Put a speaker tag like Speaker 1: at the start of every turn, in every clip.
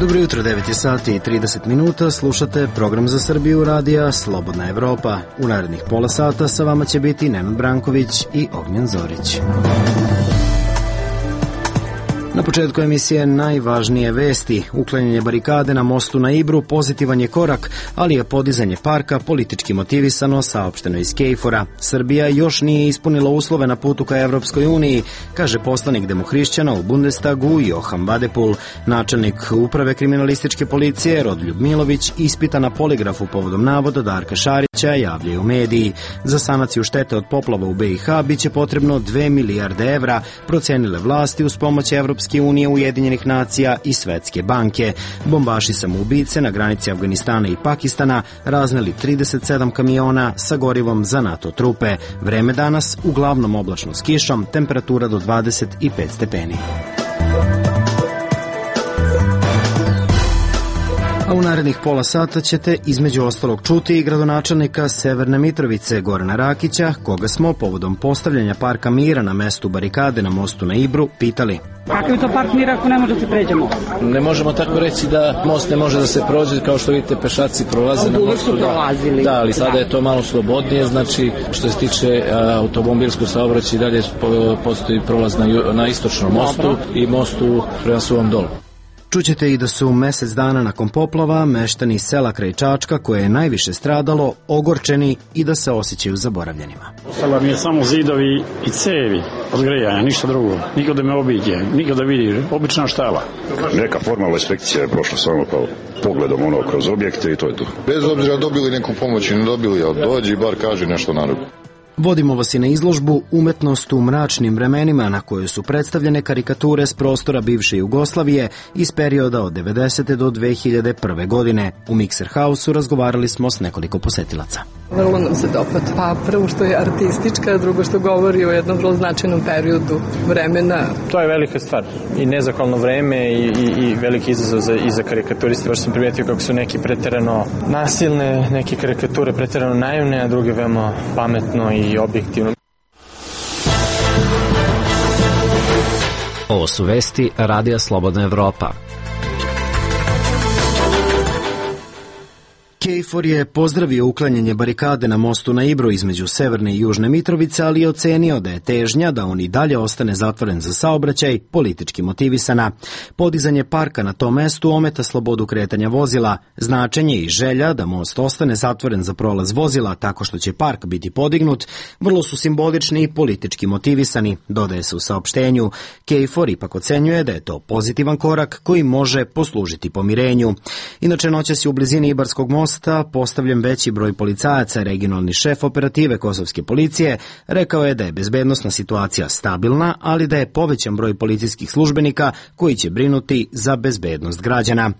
Speaker 1: Dobro jutro, 9 je sati i 30 minuta, slušate program za Srbiju radija Slobodna Evropa. U narednih pola sata sa vama će biti Nenad Branković i Ognjen Zorić. Na početku emisije najvažnije vesti. Uklanjanje barikade na mostu na Ibru pozitivan je korak, ali je podizanje parka politički motivisano, saopšteno iz KFOR-a. Srbija još nije ispunila uslove na putu ka Evropskoj uniji, kaže poslanik demohrišćana u Bundestagu Johan Vadepul. Načelnik uprave kriminalističke policije Rodoljub Milović ispita na poligrafu povodom navoda Darka Šarića, javljaju mediji. Za sanaciju štete od poplava u BiH biće potrebno 2 milijarde evra, procenile vlasti uz pomoć Evropske unije, Ujedinjenih nacija i Svetske banke. Bombaši samoubice na granici Afganistana i Pakistana razneli 37 kamiona sa gorivom za NATO trupe. Vreme danas uglavnom oblačno s kišom, temperatura do 25 stepeni. A u narednih pola sata ćete između ostalog čuti i gradonačelnika Severne Mitrovice Gorana Rakića, koga smo povodom postavljanja parka mira na mestu barikade na mostu na Ibru pitali.
Speaker 2: Kakav je to park mira ako ne može da se pređemo?
Speaker 3: Ne možemo tako reći da most ne može da se prođe, kao što vidite pešaci prolaze na mostu. Da, ali sada je to malo slobodnije, znači što se tiče automobilskog saobraćaja dalje postoji prolaz na istočnom mostu i mostu prema Suvom Dolu.
Speaker 1: Čućete i da su mesec dana nakon poplava meštani sela kraj Čačka, koje je najviše stradalo, ogorčeni i da se osjećaju zaboravljenima.
Speaker 4: Ostala mi je samo zidovi i cevi od grejanja, ništa drugo. Niko da me obiđe, niko da vidi, obična štala.
Speaker 5: Neka formalna inspekcija je prošla samo kao pogledom kroz objekte i to je to.
Speaker 6: Bez obzira dobili neku pomoć i ne dobili, ali dođi i bar kaže nešto narodu.
Speaker 1: Vodimo vas i na izložbu Umetnost u mračnim vremenima, na kojoj su predstavljene karikature s prostora bivše Jugoslavije iz perioda od 90. do 2001. godine. U Mikser Hausu razgovarali smo s nekoliko posetilaca.
Speaker 7: Vrlo nam se dopada. Pa prvo što je artistička, drugo što govori o jednom vrlo značajnom periodu vremena.
Speaker 8: To je velika stvar i nezahvalno vreme i veliki izazov za karikaturiste. Baš sam primijetio kako su neki preterano nasilne, neke karikature preterano naivne, a druge veoma pametno i objektivno.
Speaker 9: Ovo su vesti Radija Slobodna Evropa.
Speaker 1: KFOR je pozdravio uklanjanje barikade na mostu na Ibru između Severne i Južne Mitrovice, ali je ocenio da je težnja da on i dalje ostane zatvoren za saobraćaj politički motivisana. Podizanje parka na tom mestu ometa slobodu kretanja vozila. Značenje i želja da most ostane zatvoren za prolaz vozila tako što će park biti podignut vrlo su simbolični i politički motivisani, dodaje se u saopštenju. KFOR ipak ocenjuje da je to pozitivan korak koji može poslužiti pomirenju. Inače, noćas je u blizini Ibarskog mosta postavljen veći broj policajaca. Regionalni šef operative kosovske policije rekao je da je bezbednosna situacija stabilna, ali da je povećan broj policijskih službenika koji će brinuti za bezbednost građana.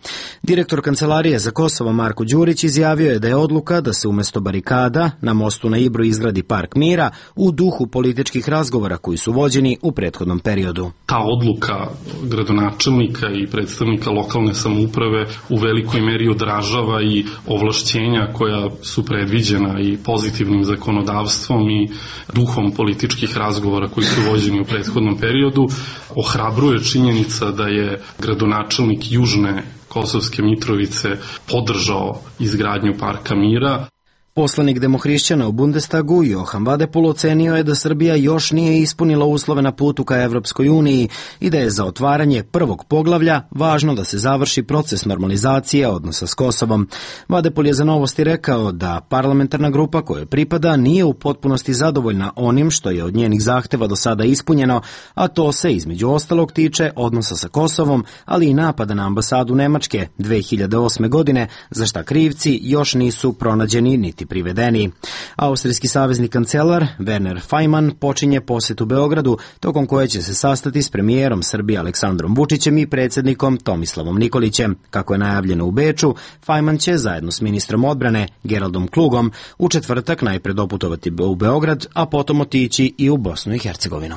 Speaker 1: Direktor Kancelarije za Kosovo Marko Đurić izjavio je da je odluka da se umesto barikada na mostu na Ibru izgradi park mira u duhu političkih razgovora koji su vođeni u prethodnom periodu.
Speaker 10: Ta odluka gradonačelnika i predstavnika lokalne samouprave u velikoj meri odražava i ovlašćenja koja su predviđena i pozitivnim zakonodavstvom i duhom političkih razgovora koji su vođeni u prethodnom periodu. Ohrabruje činjenica da je gradonačelnik Južne Kosovske Mitrovice podržao izgradnju parka mira.
Speaker 1: Poslanik demohrišćana u Bundestagu Johan Vadepul ocenio je da Srbija još nije ispunila uslove na putu ka Evropskoj uniji i da je za otvaranje prvog poglavlja važno da se završi proces normalizacije odnosa s Kosovom. Vadepul je za Novosti rekao da parlamentarna grupa kojoj pripada nije u potpunosti zadovoljna onim što je od njenih zahteva do sada ispunjeno, a to se između ostalog tiče odnosa sa Kosovom, ali i napada na ambasadu Nemačke 2008. godine, za šta krivci još nisu pronađeni niti privedeni. Austrijski savezni kancelar Werner Faymann počinje posetu Beogradu, tokom koje će se sastati s premijerom Srbije Aleksandrom Vučićem i predsjednikom Tomislavom Nikolićem. Kako je najavljeno u Beču, Faymann će zajedno s ministrom odbrane Geraldom Klugom u četvrtak najpre doputovati u Beograd, a potom otići i u Bosnu i Hercegovinu.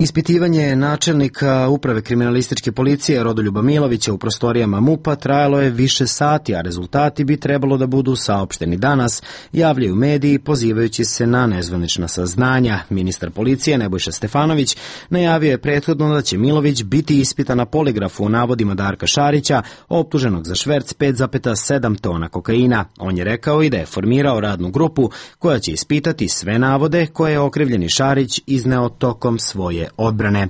Speaker 1: Ispitivanje načelnika Uprave kriminalističke policije Rodoljuba Milovića u prostorijama MUP-a trajalo je više sati, a rezultati bi trebalo da budu saopšteni danas, javljaju mediji pozivajući se na nezvanična saznanja. Ministar policije Nebojša Stefanović najavio je prethodno da će Milović biti ispitan na poligrafu o navodima Darka Šarića, optuženog za šverc 5,7 tona kokaina. On je rekao i da je formirao radnu grupu koja će ispitati sve navode koje je okrivljeni Šarić izneo tokom svoje odbrane.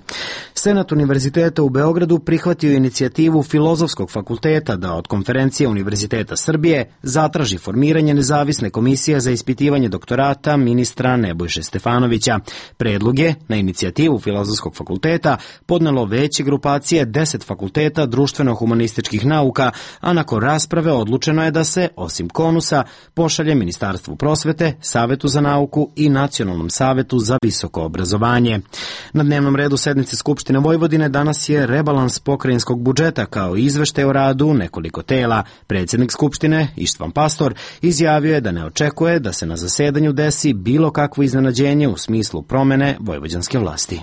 Speaker 1: Senat Univerziteta u Beogradu prihvatio inicijativu Filozofskog fakulteta da od Konferencije Univerziteta Srbije zatraži formiranje nezavisne komisije za ispitivanje doktorata ministra Nebojše Stefanovića. Predlog je na inicijativu Filozofskog fakulteta podnelo veće grupacije 10 fakulteta društveno-humanističkih nauka, a nakon rasprave odlučeno je da se, osim KONUS-a, pošalje Ministarstvu prosvete, Savetu za nauku i Nacionalnom savetu za visoko obrazovanje. Na dnevnom redu sednice Skupštine Vojvodine danas je rebalans pokrajinskog budžeta kao i izveštaj o radu nekoliko tela. Predsjednik Skupštine, Ištvan Pastor, izjavio je da ne očekuje da se na zasedanju desi bilo kakvo iznenađenje u smislu promene vojvođanske vlasti.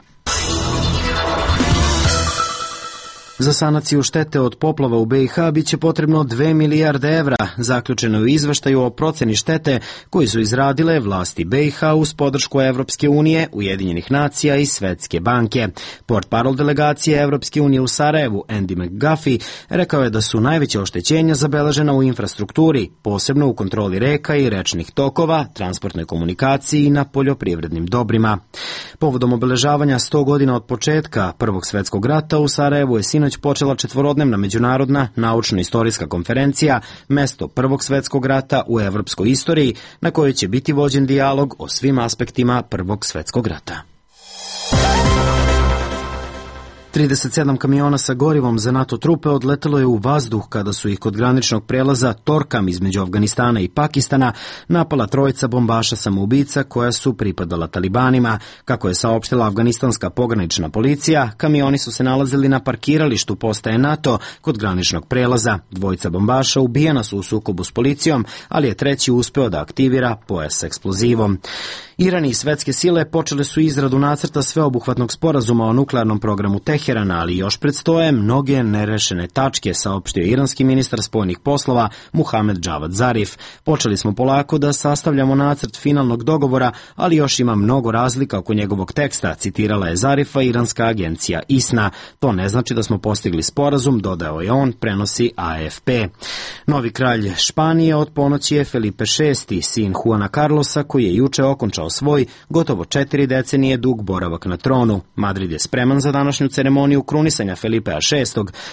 Speaker 1: Za sanaciju štete od poplava u BiH biće potrebno 2 milijarde evra, zaključeno je u izveštaju o proceni štete koji su izradile vlasti BiH uz podršku Evropske unije, Ujedinjenih nacija i Svetske banke. Portparol delegacije Evropske unije u Sarajevu, Andy McGuffey, rekao je da su najveća oštećenja zabeležena u infrastrukturi, posebno u kontroli reka i rečnih tokova, transportnoj komunikaciji i na poljoprivrednim dobrima. Povodom obeležavanja 100 godina od početka Prvog svjetskog rata u Sarajevu je sinoć počela 4-dnevna međunarodna naučno-istorijska konferencija Mesto Prvog svjetskog rata u evropskoj istoriji, na kojoj će biti vođen dijalog o svim aspektima Prvog svjetskog rata. 37 kamiona sa gorivom za NATO trupe odletelo je u vazduh kada su ih kod graničnog prelaza Torkam između Afganistana i Pakistana napala trojica bombaša samoubica koja su pripadala talibanima. Kako je saopštila afganistanska pogranična policija, kamioni su se nalazili na parkiralištu postaje NATO kod graničnog prelaza. Dvojica bombaša ubijena su u sukobu s policijom, ali je treći uspeo da aktivira pojas s eksplozivom. Iran i svetske sile počele su izradu nacrta sveobuhvatnog sporazuma o nuklearnom programu Teherana, ali još predstoje mnoge nerešene tačke, saopštio iranski ministar spoljnih poslova Muhamed Javad Zarif. Počeli smo polako da sastavljamo nacrt finalnog dogovora, ali još ima mnogo razlika oko njegovog teksta, citirala je Zarifa iranska agencija ISNA. To ne znači da smo postigli sporazum, dodao je on, prenosi AFP. Novi kralj Španije od ponoći je Felipe VI, sin Juana Carlosa, koji je juče okončao svoj gotovo 4 decenije dug boravak na tronu. Madrid je spreman za današnju ceremoniju krunisanja Felipea VI.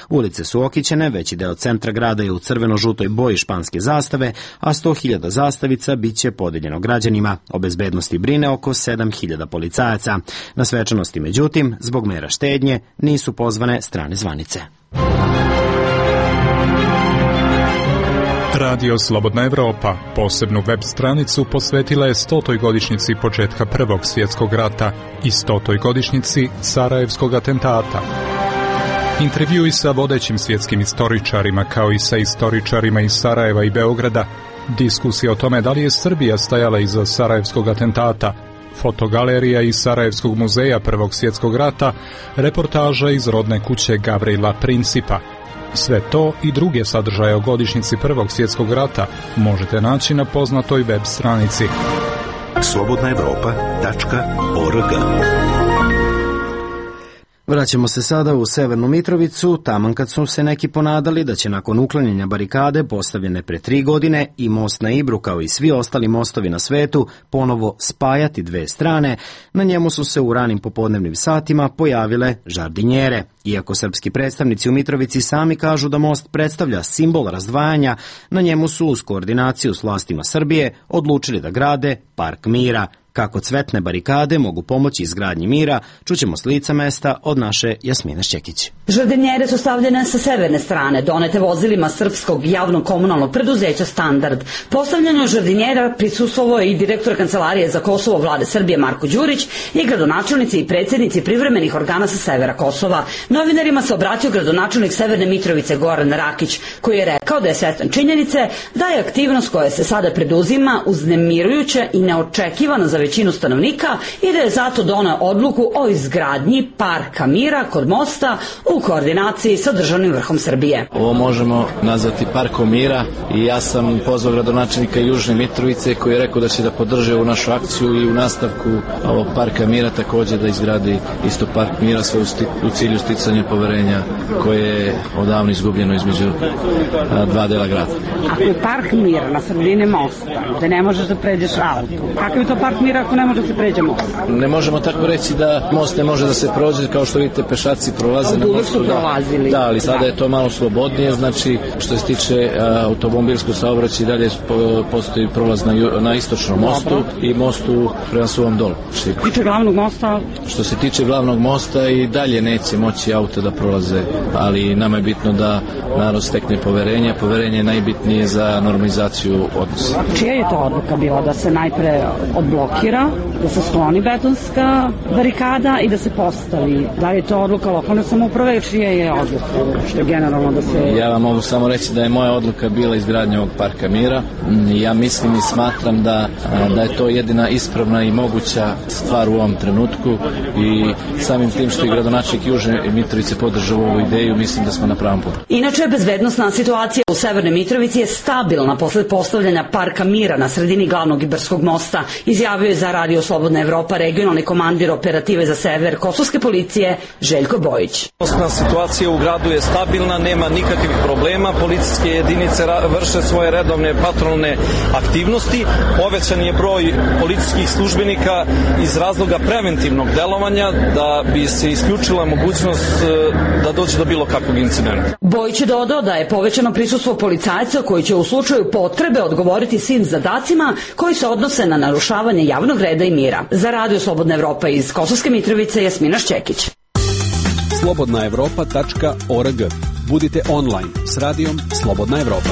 Speaker 1: Ulice su okićene, veći deo centra grada je u crveno-žutoj boji španske zastave, a 100.000 zastavica biće podeljeno građanima. O bezbednosti brine oko 7.000 policajaca. Na svečanosti, međutim, zbog mera štednje, nisu pozvane strane zvanice.
Speaker 11: Radio Slobodna Evropa posebnu web stranicu posvetila je 100. godišnjici početka Prvog svjetskog rata i 100. godišnjici Sarajevskog atentata. Intervjui sa vodećim svjetskim istoričarima kao i sa istoričarima iz Sarajeva i Beograda, diskusija o tome da li je Srbija stajala iza Sarajevskog atentata, fotogalerija iz Sarajevskog muzeja Prvog svjetskog rata, reportaža iz rodne kuće Gavrila Principa. Sve to i druge sadržaje o godišnjici Prvog svjetskog rata možete naći na poznatoj web stranici slobodnaevropa.org.
Speaker 1: Vraćamo se sada u Severnu Mitrovicu, taman kad su se neki ponadali da će nakon uklanjanja barikade postavljene pre 3 godine i most na Ibru kao i svi ostali mostovi na svetu ponovo spajati dve strane, na njemu su se u ranim popodnevnim satima pojavile žardinjere. Iako srpski predstavnici u Mitrovici sami kažu da most predstavlja simbol razdvajanja, na njemu su uz koordinaciju s vlastima Srbije odlučili da grade park mira. Kako cvetne barikade mogu pomoći izgradnji mira, čućemo s lica mesta od naše Jasmine Šćekić.
Speaker 12: Žardinjere su stavljene sa severne strane, donete vozilima srpskog javnog komunalnog preduzeća Standard. Postavljanju žardinjera prisustvovao je i direktor Kancelarije za Kosovo Vlade Srbije Marko Đurić i gradonačelnici i predsjednici privremenih organa sa severa Kosova. Novinarima se obratio gradonačelnik Severne Mitrovice Goran Rakić, koji je rekao da je svestan činjenice da je aktivnost koja se sada preduzima uznemirujuća i neočekivana za većinu stanovnika i da je zato doneo odluku o izgradnji parka mira kod mosta u koordinaciji sa državnim vrhom Srbije.
Speaker 3: Ovo možemo nazvati parkom mira i ja sam pozvao gradonačelnika Južne Mitrovice koji je rekao da će da podrže ovu našu akciju i u nastavku ovog parka mira takođe da izgradi isto park mira, sve u cilju sticanja poverenja koje je odavno izgubljeno između dva dela grada.
Speaker 2: Ako je park mira na sredini mosta, da ne možeš da pređeš auto, kakav je to park mira ako ne može da se pređe most?
Speaker 3: Ne možemo tako reći da most ne može da se prođe, kao što vidite pešaci prolaze na mostu. Da, ali sada je to malo slobodnije, znači što se tiče automobilskog saobraćaja dalje postoji prolaz na istočnom mostu i mostu prema Suvom Dolu. Što se tiče glavnog mosta i dalje neće moći auto da prolaze, ali nama je bitno da narod stekne poverenje. Poverenje je najbitnije za normalizaciju odnosa.
Speaker 2: Čija je to odluka bila da se najpre odblokira, da se skloni betonska barikada i da se postavi? Da li je to odluka lokalne samouprave, čija je odluka? Što je generalno da se...
Speaker 3: Ja vam mogu samo reći da je moja odluka bila izgradnja ovog parka mira. Ja mislim i smatram da je to jedina ispravna i moguća stvar u ovom trenutku i samim tim što je gradonačelnik Južne Mitrovice podržao ovu ideju, mislim da smo na pravom putu.
Speaker 12: Inače, bezbednosna situacija u Severnoj Mitrovici je stabilna posle postavljanja parka mira na sredini glavnog Ibarskog mosta, izjavio je za Radio Slobodna Evropa regionalni komandir operative za sever kosovske policije Željko Bojić.
Speaker 13: Situacija u gradu je stabilna, nema nikakvih problema, policijske jedinice vrše svoje redovne patrolne aktivnosti, povećan je broj policijskih službenika iz razloga preventivnog delovanja da bi se isključila mogućnost da dođe do bilo kakvog incidenta.
Speaker 12: Bojić je dodao da je povećano prisustvo policajaca koji će u slučaju potrebe odgovoriti svim zadacima koji se odnose na narušavanje javnog reda i mira. Za Radio Slobodna Evropa iz Kosovske Mitrovice, Jasmina Šćekić.
Speaker 14: slobodnaevropa.org. Budite online s radijom Slobodna Evropa.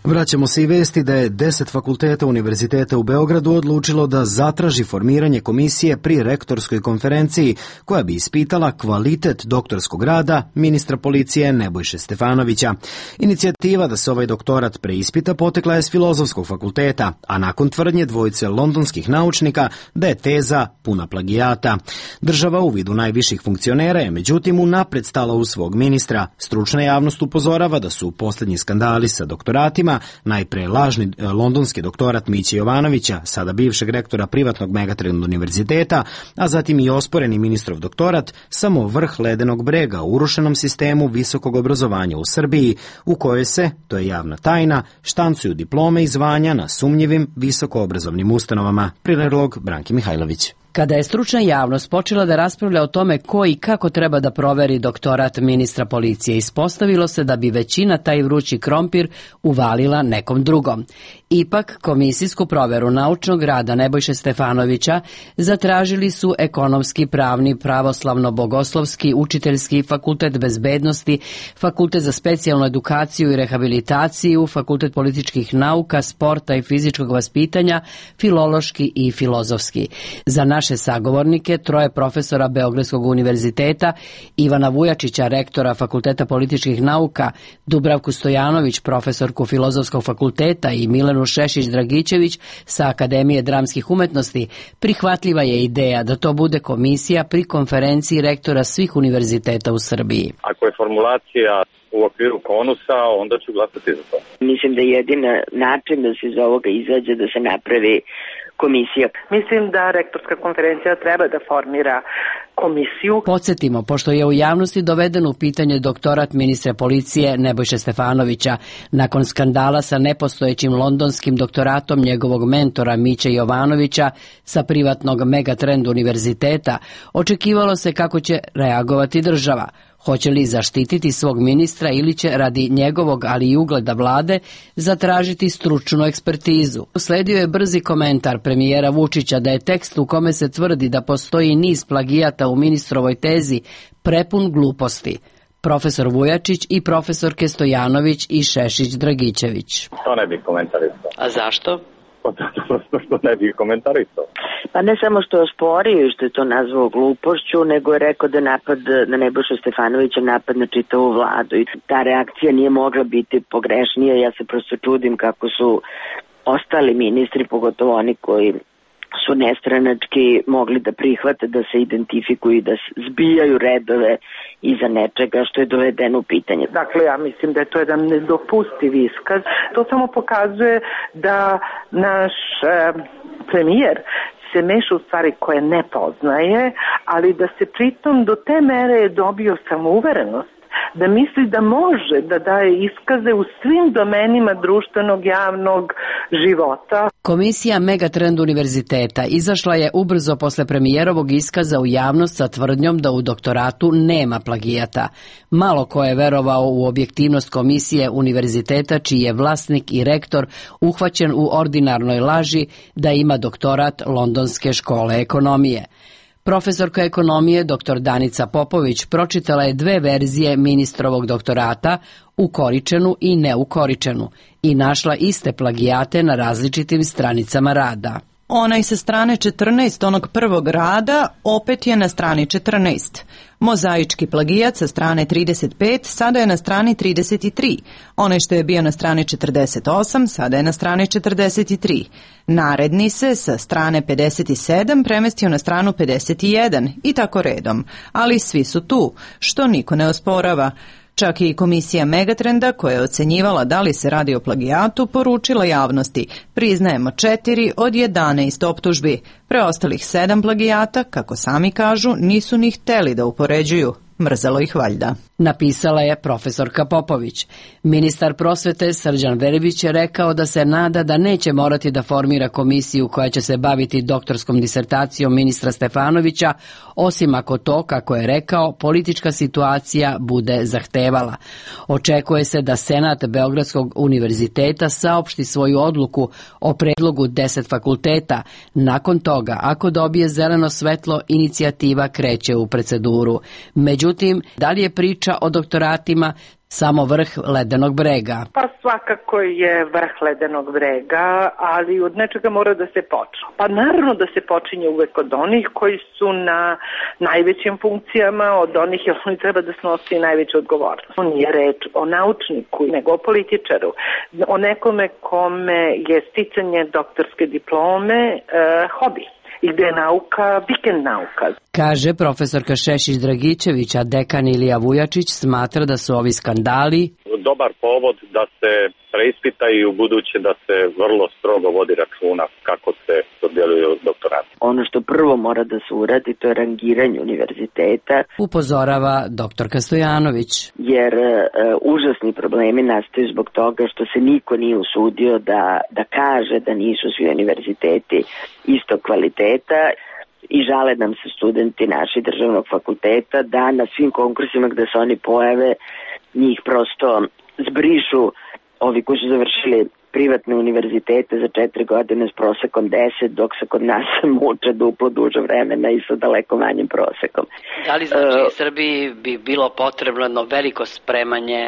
Speaker 1: Vraćamo se i vesti da je 10 fakulteta Univerziteta u Beogradu odlučilo da zatraži formiranje komisije pri rektorskoj konferenciji koja bi ispitala kvalitet doktorskog rada ministra policije Nebojše Stefanovića. Inicijativa da se ovaj doktorat preispita potekla je s Filozofskog fakulteta, a nakon tvrdnje dvojice londonskih naučnika da je teza puna plagijata. Država u vidu najviših funkcionera je međutim unapred stala u svog ministra. Stručna javnost upozorava da su posljednji skandali sa doktoratima, najpre lažni londonski doktorat Miće Jovanovića, sada bivšeg rektora privatnog Megatrend univerziteta, a zatim i osporeni ministrov doktorat, samo vrh ledenog brega u urušenom sistemu visokog obrazovanja u Srbiji, u kojoj se, to je javna tajna, štancuju diplome i zvanja na sumnjivim visokoobrazovnim ustanovama. Prilog Branki Mihajlović.
Speaker 15: Kada je stručna javnost počela da raspravlja o tome ko i kako treba da proveri doktorat ministra policije, ispostavilo se da bi većina taj vrući krompir uvalila nekom drugom. Ipak, komisijsku proveru naučnog rada Nebojše Stefanovića zatražili su Ekonomski, Pravni, Pravoslavno-Bogoslovski, Učiteljski, Fakultet bezbednosti, Fakultet za specijalnu edukaciju i rehabilitaciju, Fakultet političkih nauka, sporta i fizičkog vaspitanja, Filološki i Filozofski. Za naše sagovornike, troje profesora Beogradskog univerziteta, Ivana Vujačića, rektora Fakulteta političkih nauka, Dubravku Stojanović, profesorku Filozofskog fakulteta i Milenu Šešić-Dragićević sa Akademije dramskih umetnosti, prihvatljiva je ideja da to bude komisija pri konferenciji rektora svih univerziteta u Srbiji.
Speaker 16: Ako je formulacija u okviru konusa, onda ću glasati za to.
Speaker 17: Mislim da je jedina način da se iz ovoga izađe da se napravi komisija.
Speaker 18: Mislim da rektorska konferencija treba da formira komisiju.
Speaker 15: Podsjetimo, pošto je u javnosti doveden u pitanje doktorat ministra policije Nebojše Stefanovića, nakon skandala sa nepostojećim londonskim doktoratom njegovog mentora Miće Jovanovića sa privatnog Megatrend univerziteta, očekivalo se kako će reagovati država. Hoće li zaštititi svog ministra ili će radi njegovog, ali i ugleda vlade, zatražiti stručnu ekspertizu. Usledio je brzi komentar premijera Vučića da je tekst u kome se tvrdi da postoji niz plagijata u ministrovoj tezi prepun gluposti. Profesor Vujačić i profesorke Stojanović i Šešić-Dragićević.
Speaker 16: To ne bih komentarisao.
Speaker 17: A zašto?
Speaker 16: Prosto što ne bih komentarisao.
Speaker 17: Pa ne samo što je osporio i što je to nazvao glupošću, nego je rekao da napad na Nebojšu Stefanovića napad na čitavu vladu i ta reakcija nije mogla biti pogrešnija. Ja se prosto čudim kako su ostali ministri, pogotovo oni koji su nestranački, mogli da prihvate da se identifikuju i da zbijaju redove iza nečega što je dovedeno u pitanje.
Speaker 18: Dakle, ja mislim da je to jedan nedopustiv iskaz. To samo pokazuje da naš premijer se meša u stvari koje ne poznaje, ali da se pritom do te mere je dobio samouverenost da misli da može da daje iskaze u svim domenima društvenog javnog života.
Speaker 15: Komisija Megatrend univerziteta izašla je ubrzo posle premijerovog iskaza u javnost sa tvrdnjom da u doktoratu nema plagijata. Malo ko je verovao u objektivnost komisije univerziteta čiji je vlasnik i rektor uhvaćen u ordinarnoj laži da ima doktorat Londonske škole ekonomije. Profesorka ekonomije dr. Danica Popović pročitala je 2 verzije ministrovog doktorata, ukoričenu i neukoričenu, i našla iste plagijate na različitim stranicama rada.
Speaker 19: Onaj sa strane 14 onog prvog rada opet je na strani 14. Mozaički plagijat sa strane 35 sada je na strani 33. Onaj što je bio na strani 48 sada je na strani 43. Naredni se sa strane 57 premestio na stranu 51 i tako redom. Ali svi su tu, što niko ne osporava. Čak i komisija Megatrenda, koja je ocenjivala da li se radi o plagijatu, poručila javnosti: priznajemo 4 od 11 optužbi. Preostalih 7 plagijata, kako sami kažu, nisu ni hteli da upoređuju. Mrzelo ih valjda.
Speaker 15: Napisala je profesorka Popović. Ministar prosvete Srđan Verbić je rekao da se nada da neće morati da formira komisiju koja će se baviti doktorskom disertacijom ministra Stefanovića, osim ako to, kako je rekao, politička situacija bude zahtevala. Očekuje se da Senat Beogradskog univerziteta saopšti svoju odluku o predlogu 10 fakulteta. Nakon toga, ako dobije zeleno svetlo, inicijativa kreće u proceduru. Međutim, da li je priča o doktoratima samo vrh ledenog brega?
Speaker 18: Pa svakako je vrh ledenog brega, ali od nečega mora da se počne. Pa naravno da se počinje uvek od onih koji su na najvećim funkcijama, od onih jer oni treba da snosi najveću odgovornost. Nije reč o naučniku, nego o političaru, o nekome kome je sticanje doktorske diplome hobi. I gde je nauka, vikend nauka.
Speaker 15: Kaže profesorka Šešić Dragićević, a dekan Ilija Vujačić smatra da su ovi skandali
Speaker 16: dobar povod da se preispita i u buduće da se vrlo strogo vodi računa kako se dodjeljuju doktorati.
Speaker 17: Ono što prvo mora da se uradi, to je rangiranje univerziteta.
Speaker 15: Upozorava doktorka Stojanović.
Speaker 17: Jer užasni problemi nastaju zbog toga što se niko nije usudio da kaže da nisu svi univerziteti istog kvaliteta. I žale nam se studenti naši državnog fakulteta da na svim konkursima gde se oni pojave njih prosto zbrišu ovi koji su završili privatne univerzitete za 4 godine s prosekom 10, dok se kod nas muče duplo duže vremena i sa daleko manjim prosekom.
Speaker 15: Da li znači Srbiji bi bilo potrebno veliko spremanje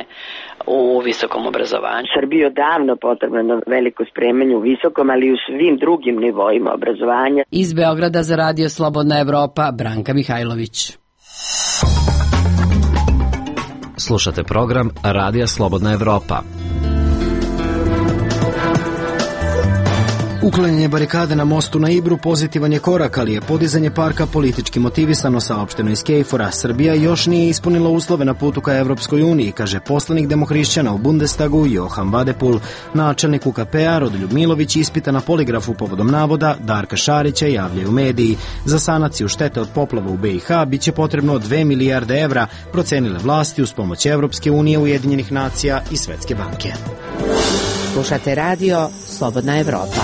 Speaker 15: u visokom obrazovanju?
Speaker 17: Srbiji je odavno potrebno veliko spremanje u visokom, ali i u svim drugim nivoima obrazovanja.
Speaker 15: Iz Beograda za Radio Slobodna Evropa, Branka Mihajlović.
Speaker 9: Slušate program Radija Slobodna Evropa.
Speaker 1: Uklanjanje barikade na mostu na Ibru pozitivan je korak, ali je podizanje parka politički motivisano, saopšteno iz KFOR-a. Srbija još nije ispunila uslove na putu ka Evropskoj uniji, kaže poslanik demohrišćana u Bundestagu Johan Vadepul. Načelnik UKP-a Rodoljub Milović ispita na poligrafu povodom navoda Darka Šarića, javljaju mediji. Za sanaciju štete od poplava u BiH biće potrebno 2 milijarde evra, procenile vlasti uz pomoć Evropske unije, Ujedinjenih nacija i Svetske banke.
Speaker 20: Slušate radio Slobodna Evropa.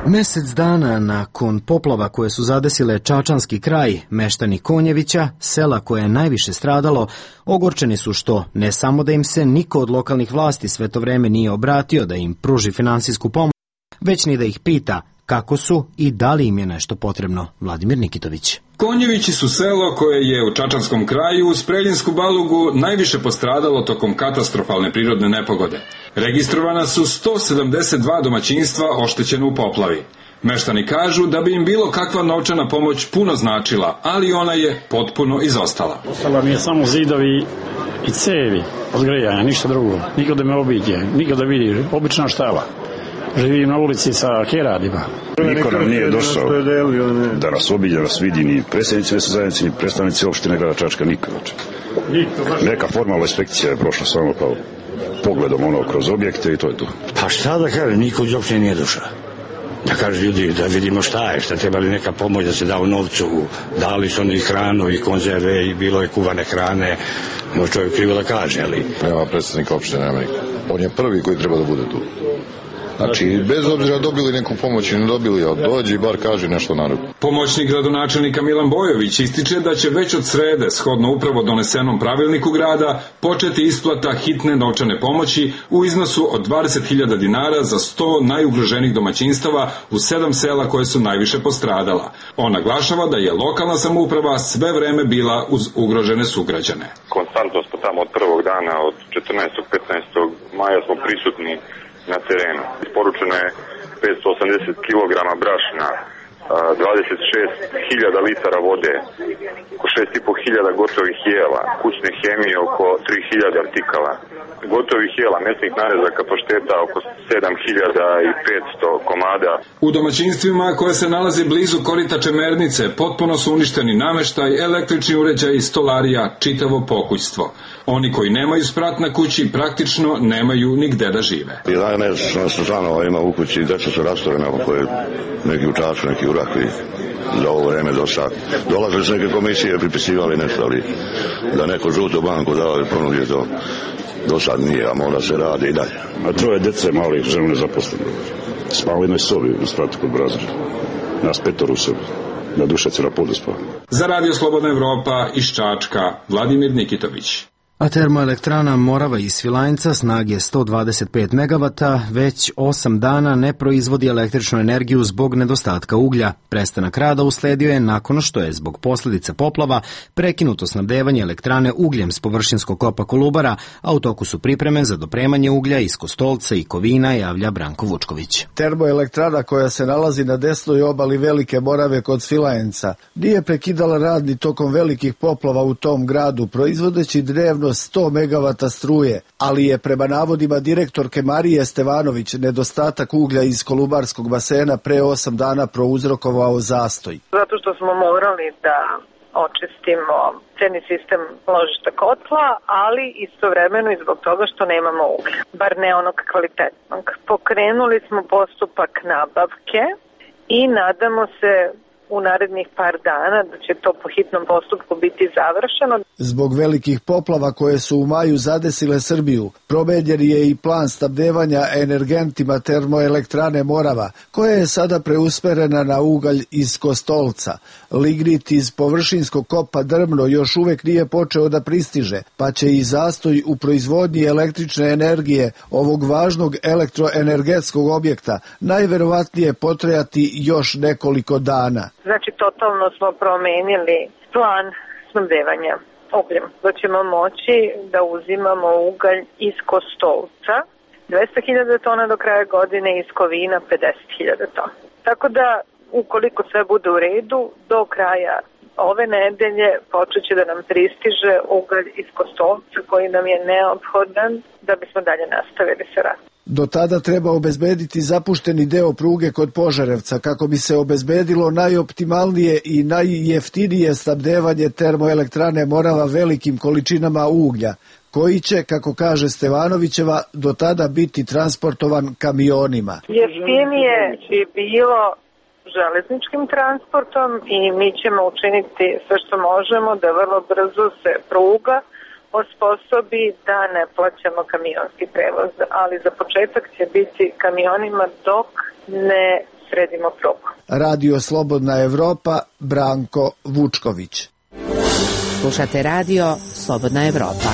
Speaker 1: Mesec dana nakon poplava koje su zadesile Čačanski kraj, meštani Konjevića, sela koje je najviše stradalo, ogorčeni su što ne samo da im se niko od lokalnih vlasti sve to vreme nije obratio da im pruži finansijsku pomoć, već ni da ih pita kako su i da li im je nešto potrebno. Vladimir Nikitović.
Speaker 21: Konjevići su selo koje je u Čačanskom kraju uz Preljinsku Balugu najviše postradalo tokom katastrofalne prirodne nepogode. Registrovana su 172 domaćinstva oštećena u poplavi. Meštani kažu da bi im bilo kakva novčana pomoć puno značila, ali ona je potpuno izostala.
Speaker 4: Ostala mi je samo zidovi i i cevi od grejanja, ništa drugo. Niko da me obiđe, niko da vidi, obična štala. Živim na ulici sa keradima.
Speaker 5: Niko nam nije došao da nas obiđe, da nas vidi, ni predsjednici mesne zajednice, ni predstavnici opštine grada Čačka, niko. Neka formalna inspekcija je prošla samo kao pogledom kroz objekte i to je to.
Speaker 22: Pa šta da kažem, niko iz opštine nije došao. Da kaže ljudi, da vidimo šta je, šta treba li neka pomoć da se da u novcu, dali su oni hranu i konzerve i bilo je kuvane hrane, može čovjek krivo da kaže, ali...
Speaker 6: Nema predstavnika opštine, nema niko. On je prvi koji treba da bude tu. Znači, bez obzira dobili neku pomoć ili ne dobili, ali dođe i bar kaže nešto narodu.
Speaker 21: Pomoćnik gradonačelnika Milan Bojović ističe da će već od srede, shodno upravo donesenom pravilniku grada, početi isplata hitne novčane pomoći u iznosu od 20.000 dinara za 100 najugroženih domaćinstava u 7 sela koje su najviše postradala. On naglašava da je lokalna samouprava sve vreme bila uz ugrožene sugrađane.
Speaker 23: Konstantno smo tamo od prvog dana, od 14. 15. maja smo prisutni na terenu. Isporučeno je 580 kg brašna, 26.000 litara vode, oko 6.500 gotovih jela, kućne hemije oko 3.000 artikala, gotovih jela, mesnih narezaka pašteta oko 7.500 komada.
Speaker 21: U domaćinstvima koje se nalaze blizu korita Čemernice potpuno su uništeni nameštaj, električni uređaji, stolarija, čitavo pokućstvo. Oni koji nemaju sprat na kući praktično nemaju nigde da žive.
Speaker 5: 11 članova ima u kući, deca su rastorena, koje neki u Čačku, neki u Rakvi. Za ovo vreme do sad. Dolazili su neke komisije, pripisivali nešto, ali da neko žutu banku dao i ponudio to. Do sad nije, a mora se radi i dalje. A troje dece malih, žena nezaposlena. Spava u jednoj sobi u spratu kod Brazra. Nas 5 u sobi. Na Dušac na podu spava.
Speaker 21: Za Radio Slobodna Evropa iz Čačka, Vladimir Nikitović.
Speaker 1: A termoelektrana Morava iz Svilajnca snage 125 MW već 8 dana ne proizvodi električnu energiju zbog nedostatka uglja. Prestanak rada usledio je nakon što je zbog posljedica poplava prekinuto snabdevanje elektrane ugljem s površinskog kopa Kolubara, a u toku su pripreme za dopremanje uglja iz Kostolca i Kovina, javlja Branko Vučković.
Speaker 24: Termoelektrana koja se nalazi na desnoj obali Velike Morave kod Svilajnca nije prekidala rad ni tokom velikih poplava u tom gradu, proizvodeći dnevno 100 MW struje, ali je prema navodima direktorke Marije Stevanović nedostatak uglja iz Kolubarskog basena pre 8 dana prouzrokovao zastoj.
Speaker 18: Zato što smo morali da očistimo ceni sistem ložišta kotla, ali istovremeno i zbog toga što nemamo uglja, bar ne onog kvalitetnog. Pokrenuli smo postupak nabavke i nadamo se u narednih par dana da će to po hitnom postupku biti završeno.
Speaker 24: Zbog velikih poplava koje su u maju zadesile Srbiju, promenjen je i plan snabdevanja energentima termoelektrane Morava, koja je sada preusmerena na ugalj iz Kostolca. Lignit iz površinskog kopa Drmno još uvek nije počeo da pristiže, pa će i zastoj u proizvodnji električne energije ovog važnog elektroenergetskog objekta najverovatnije potrajati još nekoliko dana.
Speaker 18: Znači, totalno smo promenili plan snabdevanja ugljem. Da ćemo moći da uzimamo ugalj iz Kostolca, 200.000 tona do kraja godine, iz Kovina 50.000 tona. Tako da, ukoliko sve bude u redu, do kraja ove nedelje počet će da nam pristiže ugalj iz Kostolca koji nam je neophodan da bismo dalje nastavili sa radom.
Speaker 24: Do tada treba obezbediti zapušteni deo pruge kod Požarevca kako bi se obezbedilo najoptimalnije i najjeftinije snabdevanje termoelektrane Morava velikim količinama uglja, koji će, kako kaže Stevanovićeva, do tada biti transportovan kamionima.
Speaker 18: Jeftinije bi bilo železničkim transportom i mi ćemo učiniti sve što možemo da vrlo brzo se pruga osposobi da ne plaćamo kamionski prevoz, ali za početak će biti kamionima dok ne sredimo prugu.
Speaker 24: Radio Slobodna Evropa, Branko Vučković.
Speaker 20: Slušate Radio Slobodna Evropa.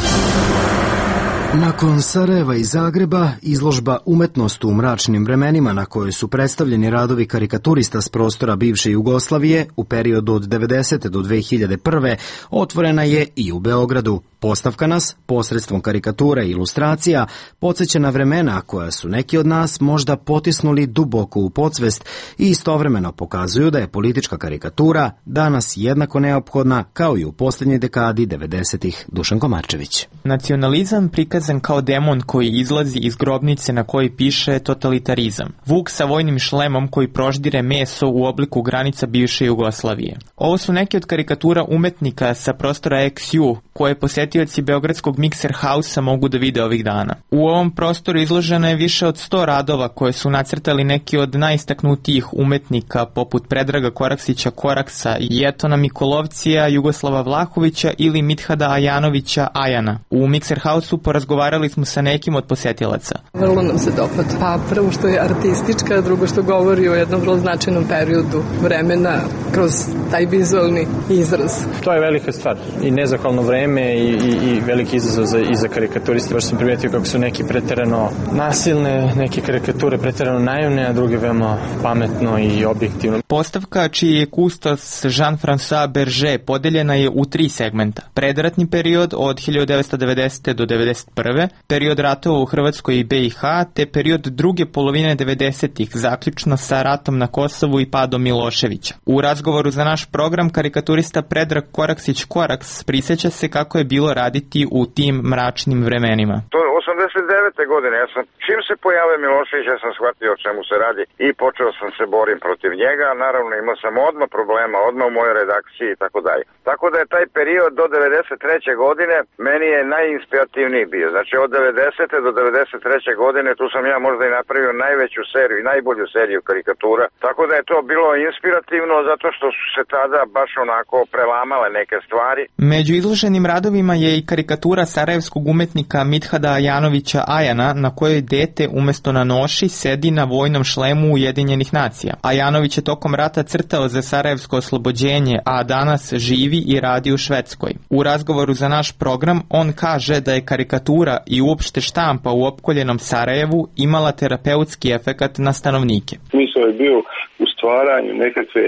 Speaker 1: Nakon Sarajeva i Zagreba, izložba Umetnost u mračnim vremenima na kojoj su predstavljeni radovi karikaturista s prostora bivše Jugoslavije u periodu od 90. do 2001. otvorena je i u Beogradu. Postavka nas, posredstvom karikatura i ilustracija, podsjeća na vremena koja su neki od nas možda potisnuli duboko u podsvest i istovremeno pokazuju da je politička karikatura danas jednako neophodna kao i u posljednjoj dekadi 90-ih. Dušan Komarčević.
Speaker 7: Nacionalizam prikazan kao demon koji izlazi iz grobnice na kojoj piše totalitarizam. Vuk sa vojnim šlemom koji proždire meso u obliku granica bivše Jugoslavije. Ovo su neke od karikatura umetnika sa prostora XU koje posetioci Beogradskog Mixer House-a mogu da vide ovih dana. U ovom prostoru izloženo je više od 100 radova koje su nacrtali neki od najistaknutijih umetnika poput Predraga Koraksića Koraksa, Jetona Mikolovcija, Jugoslava Vlahovića ili Mithada Ajanovića Ajana. U Mixer House-u porazgovarali smo sa nekim od posetilaca.
Speaker 8: Vrlo nam se dopada. Pa prvo što je artistička, drugo što govori o jednom vrlo značajnom periodu vremena kroz taj vizualni izraz.
Speaker 10: To je velika stvar i nezahvalno vreme i veliki izazov za karikaturiste. Baš sam primijetio kako su neki preterano nasilne, neke karikature preterano naivne, a druge veoma pametno i objektivno.
Speaker 7: Postavka čiji je kustos Jean-François Berger podeljena je u 3 segmenta. Predratni period od 1990. do 1991. Period ratova u Hrvatskoj i BiH, te period druge polovine 90-ih, zaključno sa ratom na Kosovu i padom Miloševića. U razgovoru za naš program karikaturista Predrag Koraksić Koraks prisjeća se kako je bilo raditi u tim mračnim vremenima.
Speaker 11: To je 89. godine, čim se pojavio Milošević, ja sam shvatio o čemu se radi i počeo sam se borim protiv njega, naravno imao sam odmah problema, odmah u mojoj redakciji i tako dalje. Tako da je taj period do 93. godine meni je najinspirativniji bio, znači od 90. do 93. godine tu sam ja možda i napravio najveću seriju i najbolju seriju karikatura, tako da je to bilo inspirativno zato što su se tada baš onako prelamale neke stvari.
Speaker 7: Među izloženim radovima je i karikatura sarajevskog umetnika Mithada Ajanovića Ajana na kojoj dete umjesto na noši sedi na vojnom šlemu Ujedinjenih nacija. Ajanović je tokom rata crtao za sarajevsko oslobođenje, a danas živi i radi u Švedskoj. U razgovoru za naš program on kaže da je karikatura i uopšte štampa u opkoljenom Sarajevu imala terapeutski efekat na stanovnike.
Speaker 25: Smisao je bio u stvaranju nekakve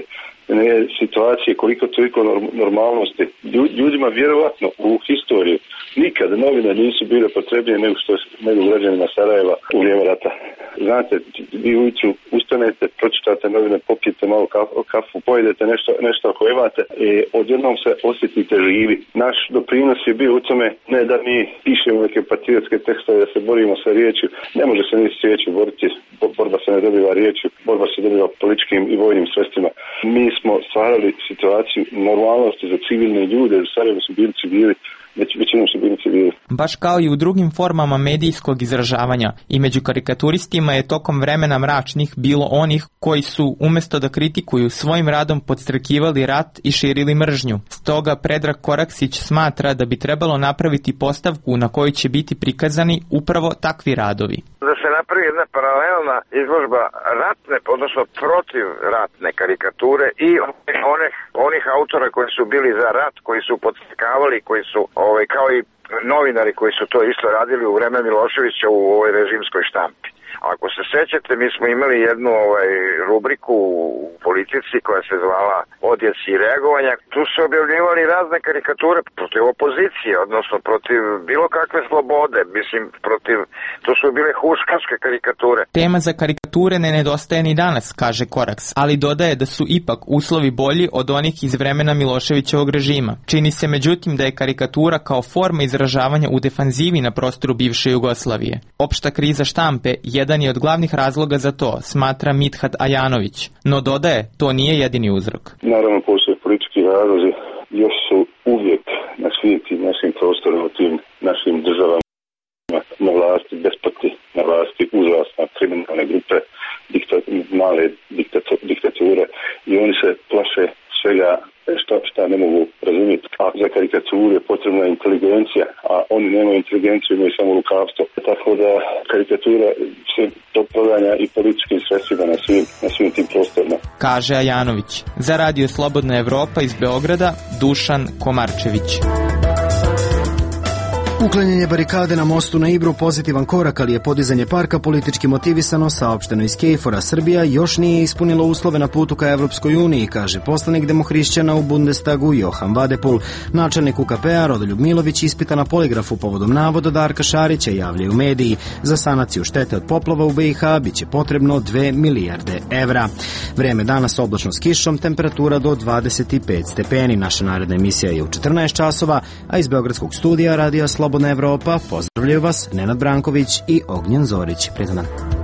Speaker 25: situacije koliko toliko normalnosti. Ljudima vjerovatno u historiju nikad novine nisu bile potrebnije nego građanima Sarajeva u vrijeme rata. Znate, vi ujutru ustanete, pročitate novine, popijete malo kafu, pojedete nešto ako imate i odjednom se osjetite živi. Naš doprinos je bio u tome ne da mi pišemo neke patriotske tekstove, da se borimo sa riječju. Ne može se ni s riječju boriti, borba se ne dobiva riječju, borba se dobiva političkim i vojnim sredstvima. Mi smo stvarali situaciju normalnosti za civilne ljude, u Sarajevu su bili civili, većinom su bili civili.
Speaker 7: Baš kao i u drugim formama medijskog izražavanja, i među karikaturistima je tokom vremena mračnih bilo onih koji su, umjesto da kritikuju, svojim radom podstrekivali rat i širili mržnju. Stoga Predrag Koraksić smatra da bi trebalo napraviti postavku na kojoj će biti prikazani upravo takvi radovi.
Speaker 11: Da se napravi jedna paralelna izložba ratne, odnosno protiv ratne karikature i onih autora koji su bili za rat, koji su podstakavali, koji su kao i novinari koji su to isto radili u vreme Miloševića u ovoj režimskoj štampi. Ako se sećate, mi smo imali jednu rubriku u Politici koja se zvala Odjeci i reagovanja. Tu su objavljivali razne karikature protiv opozicije, odnosno protiv bilo kakve slobode, to su bile huškačke karikature.
Speaker 7: Tema za karikature ne nedostaje ni danas, kaže Koraks, ali dodaje da su ipak uslovi bolji od onih iz vremena Miloševićevog režima. Čini se međutim da je karikatura kao forma izražavanja u defanzivi na prostoru bivše Jugoslavije. Opšta kriza štampe jedan je od glavnih razloga za to, smatra Mithad Ajanović. No dodaje, to nije jedini uzrok.
Speaker 25: Naravno, postoje politički razlozi, još su uvijek na svim tim našim prostorima, u tim našim državama na vlasti despoti, na vlasti užasne kriminalne grupe, male diktature i oni se plaše svega šta ne mogu razumjeti. A za karikaturu je potrebna inteligencija, a oni nemaju inteligenciju, imaju samo lukavstvo. Tako da karikatura se to proganja i političkim sredstvima na svim tim prostorima.
Speaker 7: Kaže Ajanović. Za Radio Slobodna Evropa iz Beograda, Dušan Komarčević.
Speaker 1: Uklanjanje barikade na mostu na Ibru pozitivan korak, ali je podizanje parka politički motivisano, saopšteno iz Kejfora. Srbija još nije ispunila uslove na putu ka Evropskoj uniji, kaže poslanik demohrišćana u Bundestagu Johan Vadepul. Načelnik UKP-a Rodoljub Milović ispita na poligrafu povodom navoda Darka Šarića, javljaju mediji. Za sanaciju štete od poplava u BiH biće potrebno 2 milijarde evra. Vreme danas oblačno s kišom, temperatura do 25 stepeni. Naša naredna emisija je u 14 časova, a iz Beogradskog studija Radija Slobodna Evropa pozdravljaju vas Nenad Branković i Ognjen Zorić. Prijetan dan.